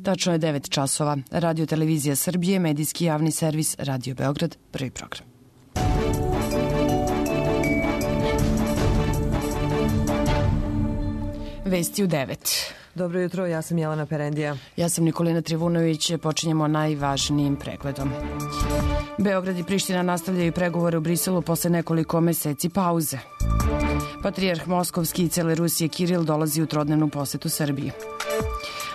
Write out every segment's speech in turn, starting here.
Tačno je 9 časova. Radio Televizija Srbije, medijski javni servis Radio Beograd, prvi program. Vesti u 9. Dobro jutro, ja sam Jelena Perendija. Ja sam Nikolina Trivunović. Počinjemo najvažnijim pregledom. Beograd i Priština nastavljaju pregovore u Briselu posle nekoliko meseci pauze. Patrijarh Moskovski i cele Rusije Kiril dolazi u trodnevnu posetu Srbiji.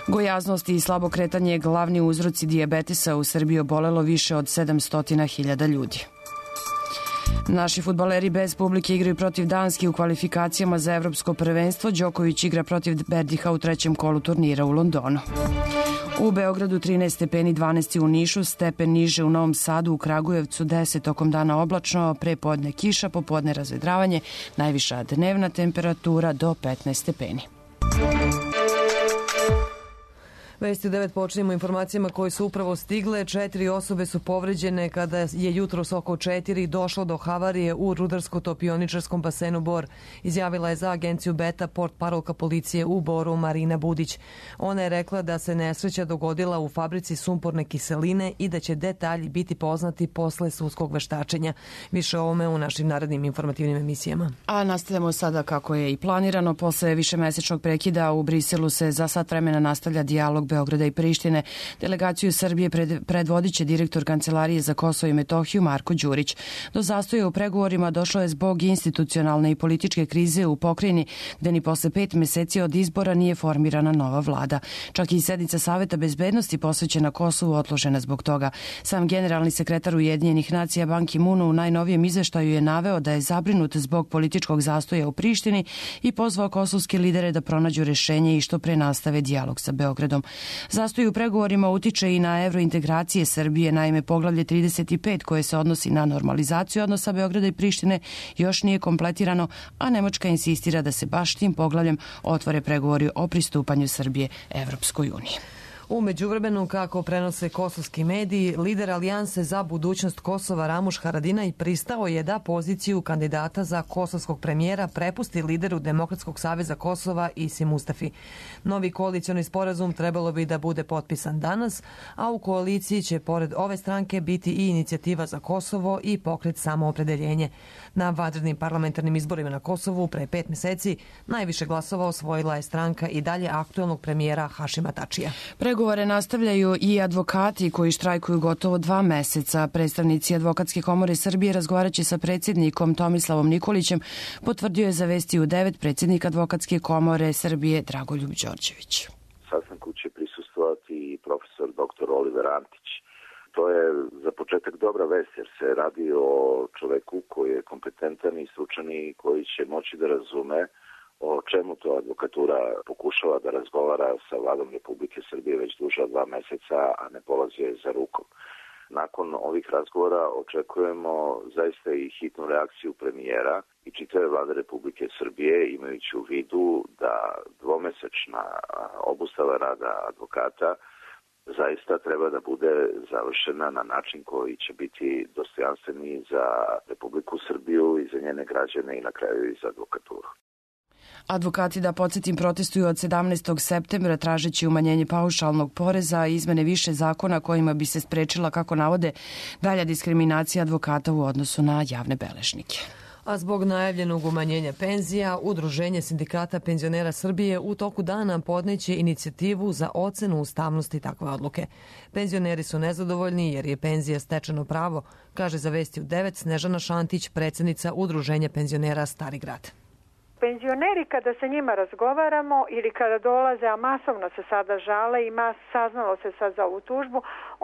Gojaznost i slabo kretanje glavni uzroci dijabetesa u Srbiji, obolelo više od 700.000 ljudi. Naši fudbaleri bez publike igraju protiv Danske u kvalifikacijama za evropsko prvenstvo. Đoković igra protiv Berdiha u trećem kolu turnira u Londonu. U Beogradu 13 stepeni, 12 u Nišu, stepen niže u Novom Sadu, u Kragujevcu 10, tokom dana oblačno, pre podne kiša, popodne razvedravanje, najviša dnevna temperatura do 15 stepeni. Vesti u 9 počinjemo informacijama koje su upravo stigle. 4 osobe su povređene kada je jutros oko 4 došlo do havarije u rudarsko-topioničarskom basenu Bor. Izjavila je za agenciju Beta portparolka policije u Boru Marina Budić. Ona je rekla da se nesreća dogodila u fabrici sumporne kiseline i da će detalji biti poznati posle sudskog veštačenja. Više o ovome u našim narednim informativnim emisijama. A nastavljamo sada kako je i planirano. Posle višemesečnog prekida u Briselu se za sat vremena nastavlja dijalog Beograda i Prištine. Delegaciju Srbije predvodit će direktor Kancelarije za Kosovo i Metohiju Marko Đurić. Do zastoja u pregovorima došlo je zbog institucionalne i političke krize u pokrajini, gde ni posle 5 meseci od izbora nije formirana nova vlada. Čak i sednica Saveta bezbednosti posvećena Kosovu otložena zbog toga. Sam generalni sekretar Ujedinjenih nacija Ban Ki-moon u najnovijem izveštaju je naveo da je zabrinut zbog političkog zastoja u Prištini i pozvao kosovske lidere da pronađu rešenje i što pre nastave dijalog sa Beogradom. Zastoj u pregovorima utiče i na evrointegracije Srbije. Naime, poglavlje 35 koje se odnosi na normalizaciju odnosa Beograda i Prištine još nije kompletirano, a Nemačka insistira da se baš tim poglavljem otvore pregovori o pristupanju Srbije Evropskoj uniji. U međuvremenu, kako prenose kosovski mediji, lider Alijanse za budućnost Kosova Ramuš Haradinaj pristao je da poziciju kandidata za kosovskog premijera prepusti lideru Demokratskog saveza Kosova Isi Mustafi. Novi koalicioni sporazum trebalo bi da bude potpisan danas, a u koaliciji će pored ove stranke biti i Inicijativa za Kosovo i Pokret Samoopredeljenje. Na vanrednim parlamentarnim izborima na Kosovu pre 5 meseci najviše glasova osvojila je stranka i dalje aktuelnog premijera Hašima Tačija. Pregovore nastavljaju i advokati koji štrajkuju gotovo 2 meseca. Predstavnici Advokatske komore Srbije razgovaraće sa predsjednikom Tomislavom Nikolićem, potvrdio je za Vesti u 9 predsjednik Advokatske komore Srbije Dragoljub Đorđević. Sastanku će prisustvovati i profesor dr. Oliver Antić. To je za početak dobra vest jer se radi o čoveku koji je kompetentan i stručan i koji će moći da razume o čemu to advokatura pokušava da razgovara sa vladom Republike Srbije već duže od 2 meseca, a ne polazi je za rukom. Nakon ovih razgovora očekujemo zaista i hitnu reakciju premijera i čitave vlade Republike Srbije, imajući u vidu da 2-mesečna obustava rada advokata zaista treba da bude završena na način koji će biti dostojanstveni za Republiku Srbiju i za njene građane i na kraju i za advokaturu. Advokati, da podsjetim, protestuju od 17. septembra tražeći umanjenje paušalnog poreza i izmene više zakona kojima bi se sprečila, kako navode, dalja diskriminacija advokata u odnosu na javne beležnike. A zbog najavljenog umanjenja penzija, Udruženje sindikata penzionera Srbije u toku dana podneće inicijativu za ocenu ustavnosti takve odluke. Penzioneri su nezadovoljni jer je penzija stečeno pravo, kaže za Vesti u 9 Snežana Šantić, predsjednica Udruženja penzionera Stari Grad. Penzioneri, kada sa njima razgovaramo ili kada dolaze, a masovno se sada žale i saznalo se sad za ovu tužbu,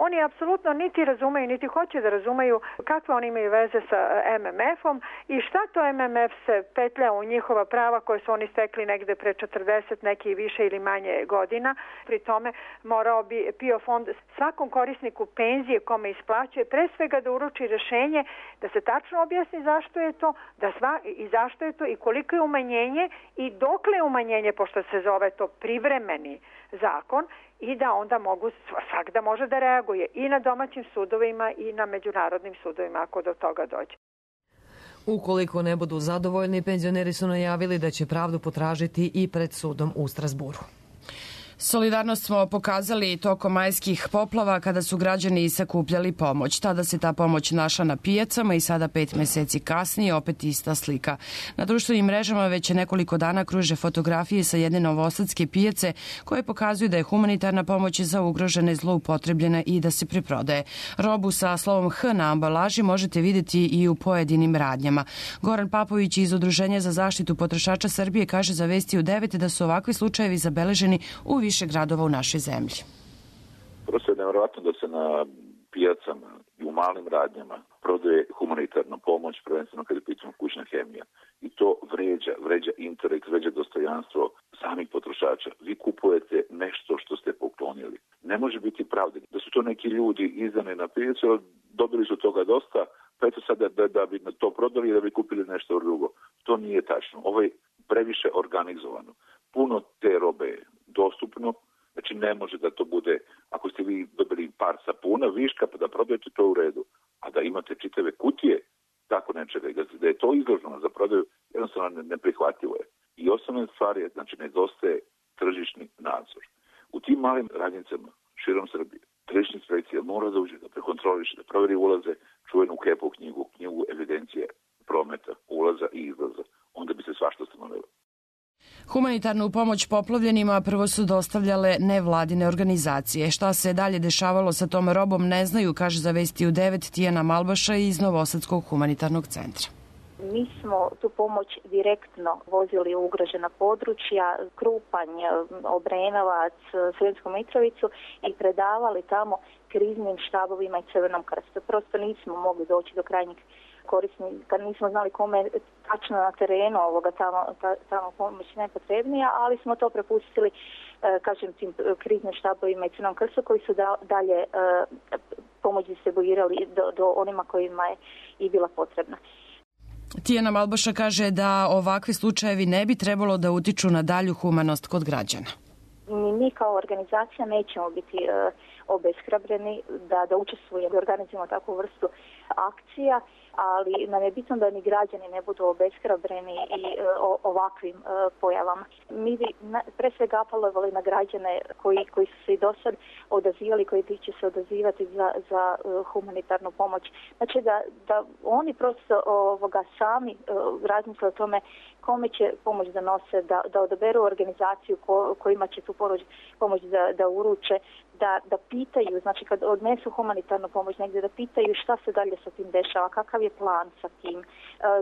oni apsolutno niti razumeju, niti hoće da razumeju kakve oni imaju veze sa MMF-om i šta to MMF se petlja u njihova prava koje su oni stekli negde pre 40, neki više ili manje godina. Pri tome morao bi PIO fond svakom korisniku penzije kome isplaćuje pre svega da uruči rešenje, da se tačno objasni zašto je to, i zašto je to i koliko je umanjenje i dokle je umanjenje, pošto se zove to privremeni zakon, i da onda svak da može da reaguje i na domaćim sudovima i na međunarodnim sudovima ako do toga dođe. Ukoliko ne budu zadovoljni, penzioneri su najavili da će pravdu potražiti i pred sudom u Strazburu. Solidarnost smo pokazali tokom majskih poplava kada su građani sakupljali pomoć. Tada se ta pomoć našla na pijacama i sada 5 meseci kasnije opet ista slika. Na društvenim mrežama već nekoliko dana kruže fotografije sa jedne novosadske pijace koje pokazuju da je humanitarna pomoć za ugrožene zloupotrebljena i da se preprodaje. Robu sa slovom H na ambalaži možete vidjeti i u pojedinim radnjama. Goran Papović iz Udruženja za zaštitu potrošača Srbije kaže za Vesti u 9 da su ovakvi slučajevi zabeleženi u više gradova u našoj zemlji. Prosto je nevjerojatno da se na pijacama i u malim radnjama prodaje humanitarna pomoć, prvenstveno kada je pitanje kućna hemija. I to vređa intelekt, vređa dostojanstvo samih potrošača. Vi kupujete nešto što ste poklonili. Ne može biti pravde da su to neki ljudi izdani na pijacu, dobili su toga dosta, pa eto sad da bi to prodali i da bi kupili nešto drugo. To nije tačno. Ovo je previše organizovano. Puno te robe je dostupno, znači ne može da to bude, ako ste vi dobili par sapuna viška pa da prodajete to u redu, a da imate čitave kutije tako nečega i da je to izloženo za prodaju, jednostavno neprihvatljivo je. I osnovna stvar je, znači nedostaje tržišni nadzor. U tim malim radnicama širom Srbije tržišna inspekcija mora da uđe, da prekontroliše, da proveri ulaze, čuvenu KEP-u knjigu evidencije prometa, ulaza i izlaza. Onda bi se svašta stanovilo. Humanitarnu pomoć poplavljenima prvo su dostavljale nevladine organizacije. Šta se dalje dešavalo sa tom robom ne znaju, kaže za Vesti u 9 Tijana Malbaša iz Novosadskog humanitarnog centra. Mi smo tu pomoć direktno vozili u ugrožena područja, Krupanj, Obrenovac, Sremsku Mitrovicu i predavali tamo kriznim štabovima i Crvenom krstu. Prosto nismo mogli doći do krajnjih korisnika, nismo znali kome tačno na terenu tamo pomoć najpotrebnija, ali smo to prepustili, kažem, tim kriznim štabovima i Crvenom krstu koji su dalje pomoć distribuirali do onima kojima je i bila potrebna. Tijana Malbaša kaže da ovakvi slučajevi ne bi trebalo da utiču na dalju humanost kod građana. Mi kao organizacija nećemo biti obeshrabreni da učestvujemo i organizujemo takvu vrstu akcija, ali nam je bitno da ni građani ne budu obeshrabreni i ovakvim pojavama. Mi bi pre svega apelovali na građane koji su se i do sad odazivali, koji će se odazivati za humanitarnu pomoć. Znači da oni prosto sami razmisle o tome kome će pomoć da nose, da odaberu organizaciju kojima će tu pomoć da uruče, da pitaju, znači kad odnesu humanitarnu pomoć negdje, da pitaju šta se dalje sa tim dešava, kakav je plan sa tim,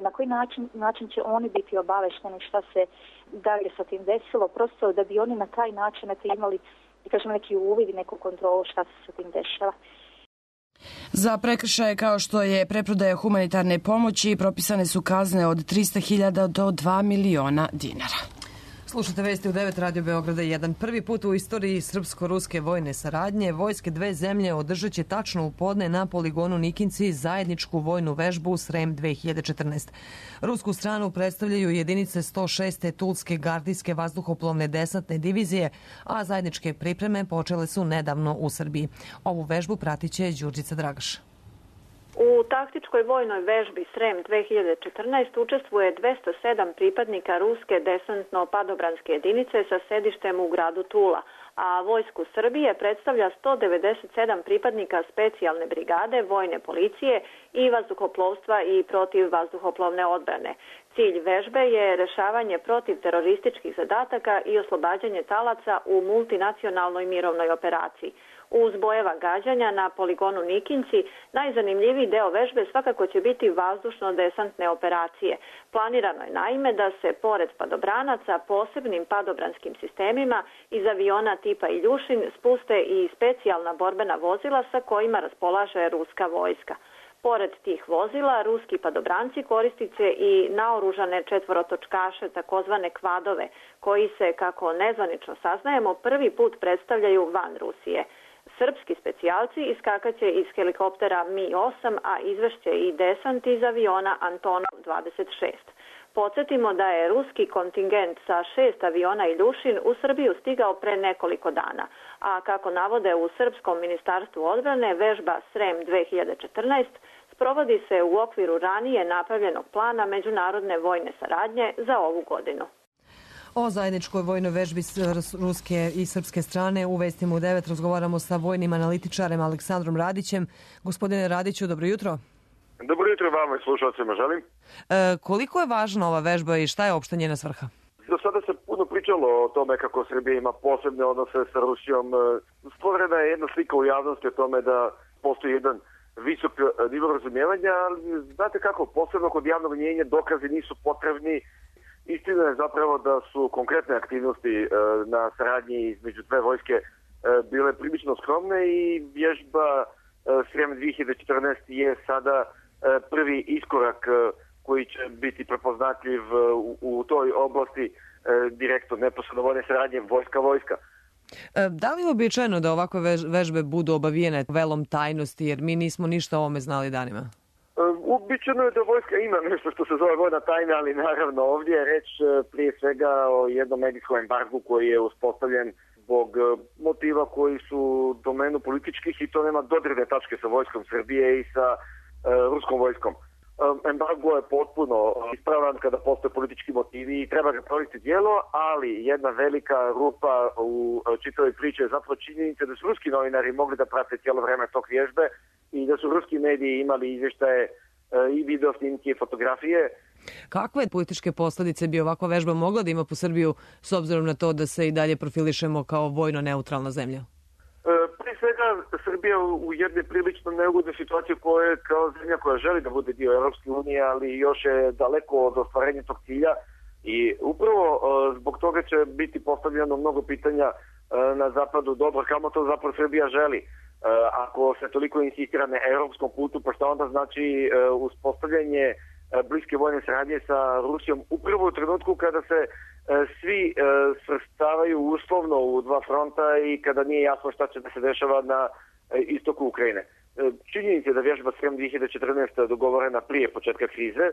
na koji način će oni biti obavešteni šta se dalje sa tim desilo, prosto da bi oni na taj način imali, kažem, neki uvid i neku kontrolu šta se sa tim dešava. Za prekršaje kao što je preprodaja humanitarne pomoći propisane su kazne od 300.000 do 2 miliona dinara. Slušate Vesti u 9 Radio Beograda 1. Prvi put u istoriji srpsko-ruske vojne saradnje vojske dve zemlje održat će tačno u podne na poligonu Nikinci zajedničku vojnu vežbu Srem 2014. Rusku stranu predstavljaju jedinice 106. Tulske gardijske vazduhoplovne desantne divizije, a zajedničke pripreme počele su nedavno u Srbiji. Ovu vežbu pratit će Đurđica Dragaš. U taktičkoj vojnoj vežbi Srem 2014 učestvuje 207 pripadnika ruske desantno-padobranske jedinice sa sedištem u gradu Tula, a vojsku Srbije predstavlja 197 pripadnika specijalne brigade, vojne policije i vazduhoplovstva i protivvazduhoplovne odbrane. Cilj vežbe je rešavanje protivterorističkih zadataka i oslobađanje talaca u multinacionalnoj mirovnoj operaciji. Uz bojeva gađanja na poligonu Nikinci, najzanimljiviji deo vežbe svakako će biti vazdušno-desantne operacije. Planirano je naime da se pored padobranaca posebnim padobranskim sistemima iz aviona tipa Iljušin spuste i specijalna borbena vozila sa kojima raspolaže ruska vojska. Pored tih vozila, ruski padobranci koristit će i naoružane četvorotočkaše, takozvane kvadove, koji se, kako nezvanično saznajemo, prvi put predstavljaju van Rusije. Srpski specijalci iskakaće iz helikoptera Mi-8, a izvešće i desant iz aviona Antonov 26. Podsjetimo da je ruski kontingent sa 6 aviona Iljušin u Srbiju stigao pre nekoliko dana, a kako navode u Srpskom ministarstvu odbrane, vežba Srem 2014 sprovodi se u okviru ranije napravljenog plana međunarodne vojne saradnje za ovu godinu. O zajedničkoj vojnoj vežbi ruske i srpske strane u Vestima u 9 razgovaramo sa vojnim analitičarem Aleksandrom Radićem. Gospodine Radiću, dobro jutro. Dobro jutro vama i slušalcima želim. Koliko je važna ova vežba i šta je opšta njena svrha? Do sada se puno pričalo o tome kako Srbija ima posebne odnose sa Rusijom. Stvorena je jedna slika u javnosti o tome da postoji jedan visok nivo razumijevanja, ali znate kako, posebno kod javnog mnijenja dokazi nisu potrebni. Istina je zapravo da su konkretne aktivnosti na saradnji između dve vojske bile prilično skromne i vježba Srem 2014 je sada prvi iskorak koji će biti prepoznatljiv u toj oblasti direktno neposredno vojne saradnje vojska. Da li je uobičajeno da ovakve vežbe budu obavijene velom tajnosti, jer mi nismo ništa o ovome znali danima? Uobičajeno je da vojska ima nešto što se zove vojna tajna, ali naravno ovdje je reč prije svega o jednom medijskom embargu koji je uspostavljen zbog motiva koji su domenu političkih i to nema dodirne tačke sa vojskom Srbije i sa ruskom vojskom. Embargo je potpuno ispravan kada postoje politički motivi i treba ga provesti djelo, ali jedna velika rupa u čitavoj priči je zapravo činjenica da su ruski novinari mogli da prate cijelo vreme tog vježbe i da su ruski mediji imali izvještaje i video snimke i fotografije. Kakve političke posljedice bi ovakva vežba mogla da ima po Srbiju s obzirom na to da se i dalje profilišemo kao vojno neutralna zemlja? Prije svega, Srbija u jednoj prilično neugodnoj situaciji koja je kao zemlja koja želi da bude dio Europske unije, ali još je daleko od ostvarenja tog cilja i upravo zbog toga će biti postavljeno mnogo pitanja na zapadu. Dobro, kamo to zapravo Srbija želi? Ako se toliko insistira na europskom putu, pa šta onda znači uspostavljanje bliske vojne saradnje sa Rusijom upravo u trenutku kada se svi svrstavaju uslovno u dva fronta i kada nije jasno šta će da se dešava na istoku Ukrajine. Činjenica je da vježba Srem 2014 dogovorena prije početka krize.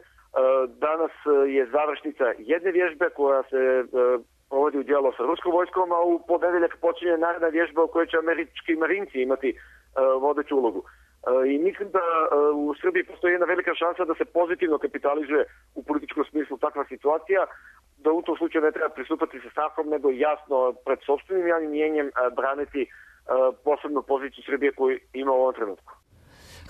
Danas je završnica jedne vježbe koja se provodi u dijelu sa ruskom vojskom, a u ponedeljak počinje naredna vježba u kojoj će američki marinci imati vodeću ulogu. I mislim da u Srbiji postoji jedna velika šansa da se pozitivno kapitalizuje u političkom smislu takva situacija, da u tom slučaju ne treba pristupati sa strahom, nego jasno pred sopstvenim javnim mnijenjem braniti posebnu poziciju Srbije koju ima u ovom trenutku.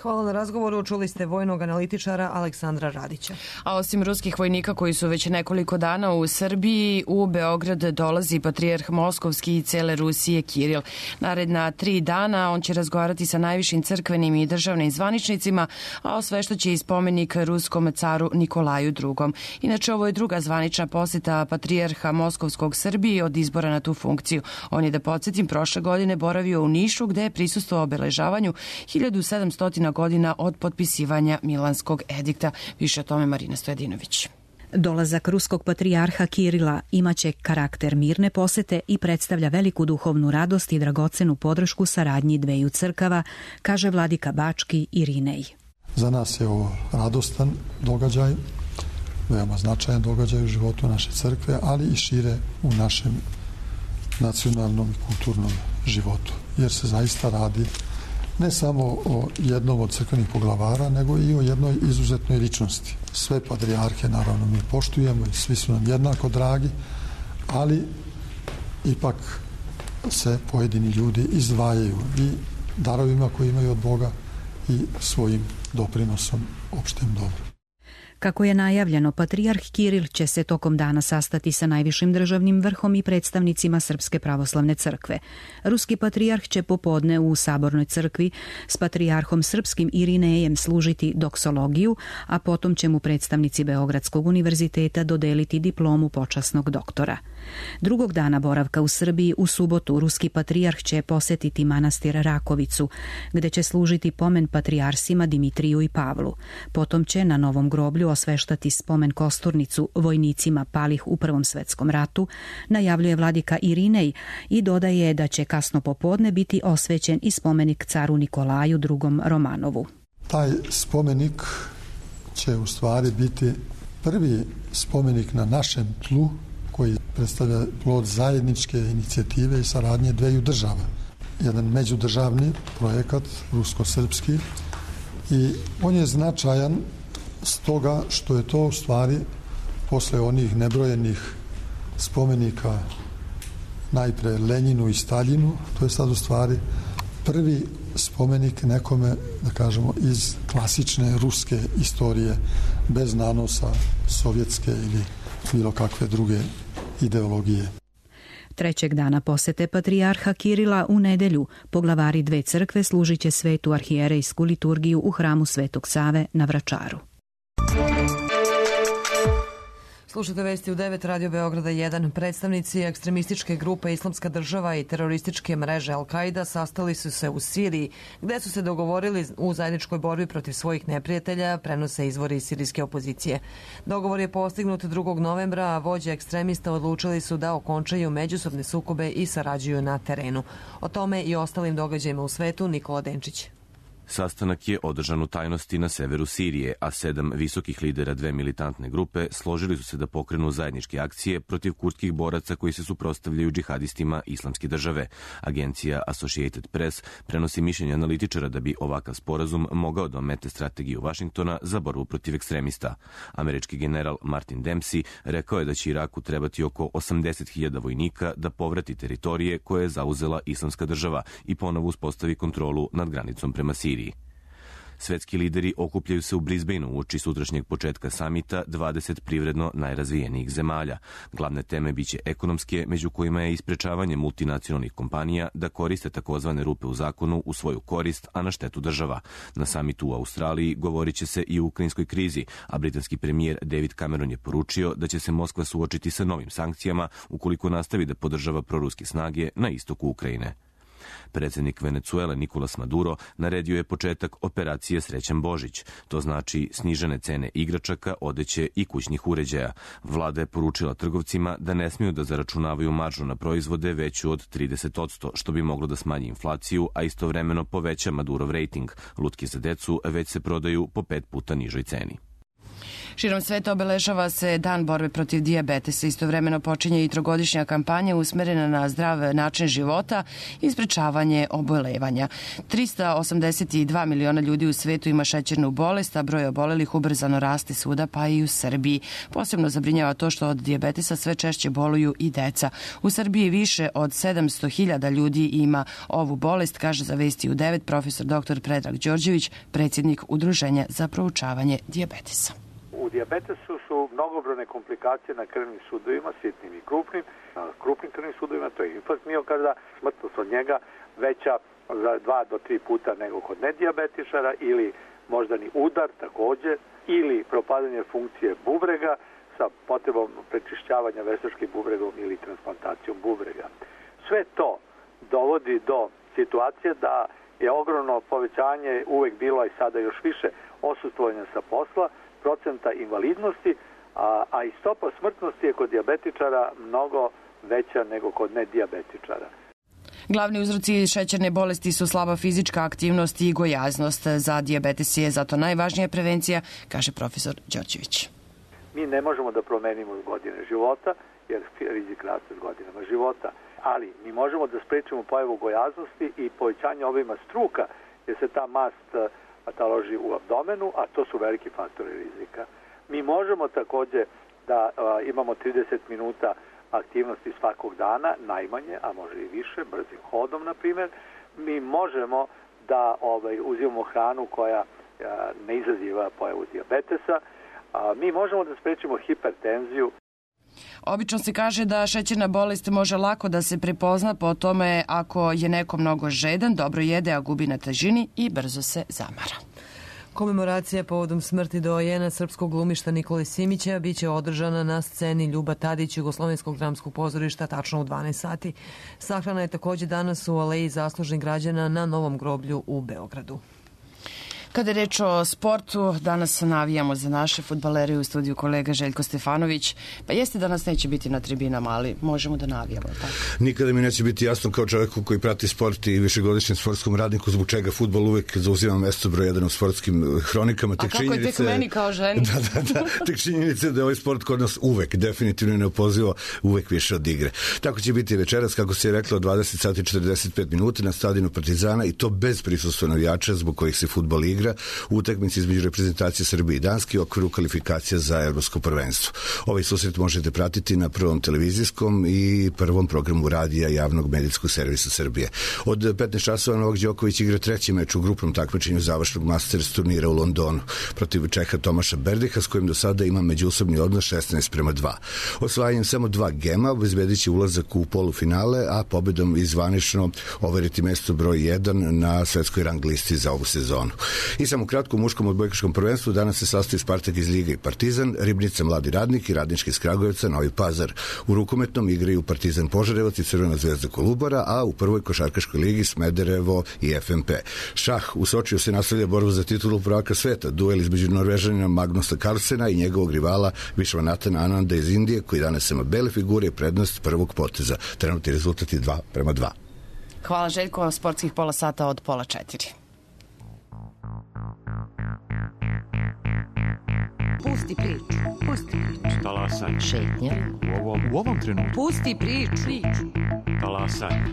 Hvala na razgovoru. Čuli ste vojnog analitičara Aleksandra Radića. A osim ruskih vojnika koji su već nekoliko dana u Srbiji, u Beograd dolazi patrijarh Moskovski i cele Rusije Kiril. Naredna 3 dana on će razgovarati sa najvišim crkvenim i državnim zvaničnicima, a osveštaće i spomenik ruskom caru Nikolaju II. Inače, ovo je druga zvanična posjeta patrijarha Moskovskog Srbiji od izbora na tu funkciju. On je, da podsjetim, prošle godine boravio u Nišu, gde je prisustvovao obeležavanju 1700 godina od potpisivanja Milanskog edikta. Više o tome Marina Stojadinović. Dolazak ruskog patrijarha Kirila imaće karakter mirne posete i predstavlja veliku duhovnu radost i dragocenu podršku saradnji dveju crkava, kaže vladika Bački Irinej. Za nas je ovo radostan događaj, veoma značajan događaj u životu naše crkve, ali i šire u našem nacionalnom i kulturnom životu, jer se zaista radi ne samo o jednom od crkvenih poglavara, nego i o jednoj izuzetnoj ličnosti. Sve patrijarhe naravno mi poštujemo i svi su nam jednako dragi, ali ipak se pojedini ljudi izdvajaju i darovima koje imaju od Boga i svojim doprinosom opštem dobru. Kako je najavljeno, patrijarh Kiril će se tokom dana sastati sa najvišim državnim vrhom i predstavnicima Srpske pravoslavne crkve. Ruski patrijarh će popodne u Sabornoj crkvi s patrijarhom srpskim Irinejem služiti doksologiju, a potom će mu predstavnici Beogradskog univerziteta dodeliti diplomu počasnog doktora. Drugog dana boravka u Srbiji, u subotu, ruski patrijarh će posjetiti manastir Rakovicu, gde će služiti pomen patrijarsima Dimitriju i Pavlu. Potom će na Novom groblju osveštati spomen kosturnicu vojnicima palih u Prvom svetskom ratu, najavljuje vladika Irinej i dodaje da će kasno popodne biti osvećen i spomenik caru Nikolaju II. Romanovu. Taj spomenik će u stvari biti prvi spomenik na našem tlu koji predstavlja plod zajedničke inicijative i saradnje dveju država. Jedan međudržavni projekat, rusko-srpski, i on je značajan stoga što je to u stvari posle onih nebrojenih spomenika najpre Lenjinu i Staljinu. To je sad u stvari prvi spomenik nekome, da kažemo, iz klasične ruske istorije, bez nanosa sovjetske ili bilo kakve druge ideologije. Trećeg dana posete patrijarha Kirila u nedelju poglavari dve crkve služit će svetu arhijerejsku liturgiju u hramu Svetog Save na Vračaru. Slušate vesti u 9, Radio Beograda 1. Predstavnici ekstremističke grupe Islamska država i terorističke mreže Al-Qaida sastali su se u Siriji, gde su se dogovorili u zajedničkoj borbi protiv svojih neprijatelja, prenose izvori sirijske opozicije. Dogovor je postignut 2. novembra, a vođe ekstremista odlučili su da okončaju međusobne sukobe i sarađuju na terenu. O tome i ostalim događajima u svetu Nikola Denčić. Sastanak je održan u tajnosti na severu Sirije, a 7 visokih lidera dve militantne grupe složili su se da pokrenu zajedničke akcije protiv kurdskih boraca koji se suprotstavljaju džihadistima Islamske države. Agencija Associated Press prenosi mišljenje analitičara da bi ovakav sporazum mogao da omete strategiju Vašingtona za borbu protiv ekstremista. Američki general Martin Dempsey rekao je da će Iraku trebati oko 80.000 vojnika da povrati teritorije koje je zauzela Islamska država i ponovo uspostavi kontrolu nad granicom prema Siriji. Svetski lideri okupljaju se u Brisbaneu uoči sutrašnjeg početka samita 20 privredno najrazvijenijih zemalja. Glavne teme biće ekonomske, među kojima je isprečavanje multinacionalnih kompanija da koriste takozvane rupe u zakonu u svoju korist, a na štetu država. Na samitu u Australiji govorit će se i o ukrajinskoj krizi, a britanski premijer David Cameron je poručio da će se Moskva suočiti sa novim sankcijama ukoliko nastavi da podržava proruske snage na istoku Ukrajine. Predsjednik Venecuele Nicolas Maduro naredio je početak operacije Srećan Božić. To znači snižene cene igračaka, odeće i kućnih uređaja. Vlada je poručila trgovcima da ne smiju da zaračunavaju maržu na proizvode veću od 30%, što bi moglo da smanji inflaciju, a istovremeno poveća Madurov rejting. Lutke za decu već se prodaju po 5 puta nižoj ceni. Širom sveta obeležava se Dan borbe protiv dijabetesa. Istovremeno počinje i trogodišnja kampanja usmerena na zdrav način života i sprečavanje obolevanja. 382 miliona ljudi u svetu ima šećernu bolest, a broj obolelih ubrzano raste svuda, pa i u Srbiji. Posebno zabrinjava to što od dijabetesa sve češće boluju i deca. U Srbiji više od 700.000 ljudi ima ovu bolest, kaže za Vesti u 9 profesor dr. Predrag Đorđević, predsjednik Udruženja za proučavanje dijabetesa. U dijabetesu su mnogobrojne komplikacije na krvnim sudovima, sitnim i krupnim. Na krupnim krvnim sudovima to je infarkt miokarda, smrtnost od njega veća za 2 do 3 puta nego kod nedijabetičara, ili moždani udar takođe, ili propadanje funkcije bubrega sa potrebom prečišćavanja veštačkim bubregom ili transplantacijom bubrega. Sve to dovodi do situacije da je ogromno povećanje uvek bilo i sada još više odsustvovanja sa posla, procenta invalidnosti, a i stopa smrtnosti je kod dijabetičara mnogo veća nego kod nedijabetičara. Glavni uzroci šećerne bolesti su slaba fizička aktivnost i gojaznost. Za dijabetes je zato najvažnija prevencija, kaže profesor Đorđević. Mi ne možemo da promenimo godine života, jer rizik raste s godinama života, ali mi možemo da sprečimo pojavu gojaznosti i povećanje obima struka, jer se ta mast taloži u abdomenu, a to su veliki faktori rizika. Mi možemo takođe da imamo 30 minuta aktivnosti svakog dana, najmanje, a može i više, brzim hodom, na primjer. Mi možemo da uzimamo hranu koja ne izaziva pojavu dijabetesa. Mi možemo da sprečimo hipertenziju. Obično se kaže da šećerna bolest može lako da se prepozna po tome ako je neko mnogo žedan, dobro jede, a gubi na težini i brzo se zamara. Komemoracija povodom smrti doajena srpskog glumišta Nikole Simića biće održana na sceni Ljuba Tadić Jugoslovenskog dramskog pozorišta tačno u 12 sati. Sahrana je takođe danas u Aleji zaslužnih građana na Novom groblju u Beogradu. Kada je reč o sportu, danas navijamo za naše fudbalere, u studiju kolega Željko Stefanović. Pa jeste da nas neće biti na tribinama, ali možemo da navijamo. Tako? Nikada mi neće biti jasno kao čovjeku koji prati sport i višegodišnjem sportskom radniku zbog čega fudbal uvek zauzima mesto broj 1 u sportskim hronikama. A kako je tek meni kao ženi? Da. Tek činjenice da je ovaj sport kod nas uvek, definitivno neopozivo, uvek više od igre. Tako će biti večeras, kako se je reklo, 20 sati 45 minuta na stadionu Partizana, i to bez prisustva navijača zbog kojih se fudbal igra. igra u utakmici između reprezentacije Srbije i Danske u okviru kvalifikacija za evropsko prvenstvo. Ovaj susret možete pratiti na Prvom televizijskom i Prvom programu radija javnog medijskog servisa Srbije. Od 15 časova Novak Đoković igra treći meč u grupnom takmičenju završnog Masters turnira u Londonu protiv Čeha Tomaša Berdiha, s kojim do sada ima međusobni odnos 16:2. Osvajanjem samo 2 gema obezbedit će ulazak u polufinale, a pobedom izvanično overiti mesto broj 1 na svetskoj rang listi za ovu sezonu. I samo kratko u muškom odbojkaškom prvenstvu danas se sastoji Spartak iz Ljiga i Partizan, Ribnica Mladi Radnik i Radnički iz Kragujevca Novi Pazar. U rukometnom igraju Partizan Požarevac i Crvena zvezda Kolubara, a u prvoj košarkaškoj ligi Smederevo i FNP. Šah u Sočiju se nastavlja borbu za titulu prvaka sveta, duel između Norvežanina Magnusa Carlsena i njegovog rivala Višvanatana Ananda iz Indije, koji danas ima bele figure i prednost prvog poteza. Trenutni rezultat je 2:2. Hvala Željko, sportskih pola sata od 3:30. Pusti priču. Talasaj. Šetnja. U ovom trenutku. Pusti priču. Talasaj.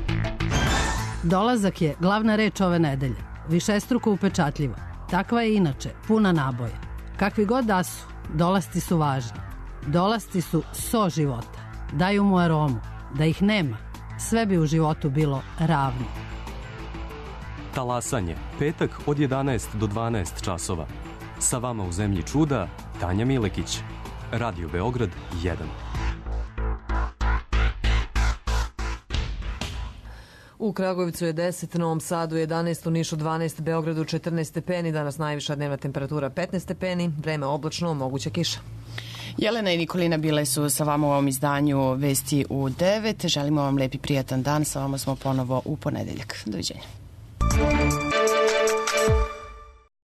Dolazak je glavna reč ove nedelje. Višestruko upečatljiva. Takva je inače, puna naboja. Kakvi god da su, dolasci su važni. Dolasci su so života. Daju mu aromu. Da ih nema, sve bi u životu bilo ravno. Talasanje, petak od 11 do 12 časova. Sa vama u zemlji čuda, Tanja Milekić. Radio Beograd 1. U Kragujevcu je 10, Novom Sadu 11, u Nišu 12, Beogradu 14 stepeni, danas najviša dnevna temperatura 15 stepeni, vreme oblačno, moguća kiša. Jelena i Nikolina bile su sa vama u ovom izdanju Vesti u 9. Želimo vam lepi prijatan dan, sa vama smo ponovo u ponedeljak. Doviđenja.